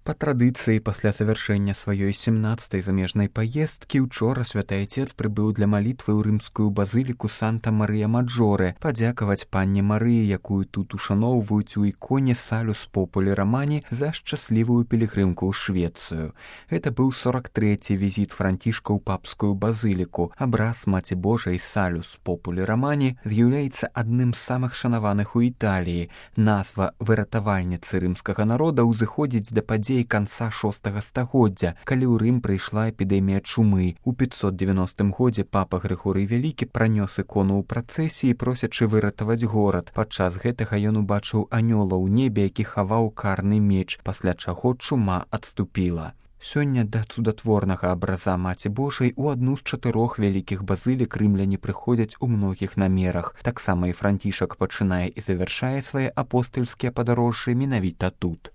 Па традыцыі, пасля завяршэння сваёй 17-й замежнай паездкі, учора святы айцец прыбыў для малітвы ў рымскую базыліку Санта-Марыя-Маджоре, падзякаваць панне Марыі, якую тут ушаноўваюць у іконе Салюс Популі Рамані за шчаслівую пілігрымку ў Швецыю. Гэта быў 43-й візіт Францішка ў папскую базыліку. Абраз Маці Божай Салюс Популі Рамані з'яўляецца адным з самых шанаваных у Італіі. Назва выратавальніцы рымскага народа ўзыходзіць да падзей канца VI стагоддзя, калі ў Рым прыйшла эпідэмія чумы. У 590 годзе папа Грыгорый Вялікі пранёс ікону ў працэсіі, просячы выратаваць горад. Падчас гэтага ён убачыў анёла ў небе, які хаваў карны меч, пасля чаго чума адступіла. Сёння да цудатворнага абраза Маці Божай у адну з 4 вялікіх базылік рымляне прыходзяць у многіх намерах. Таксама і Францішак пачынае і завяршае свае апостальскія падарожжы менавіта тут.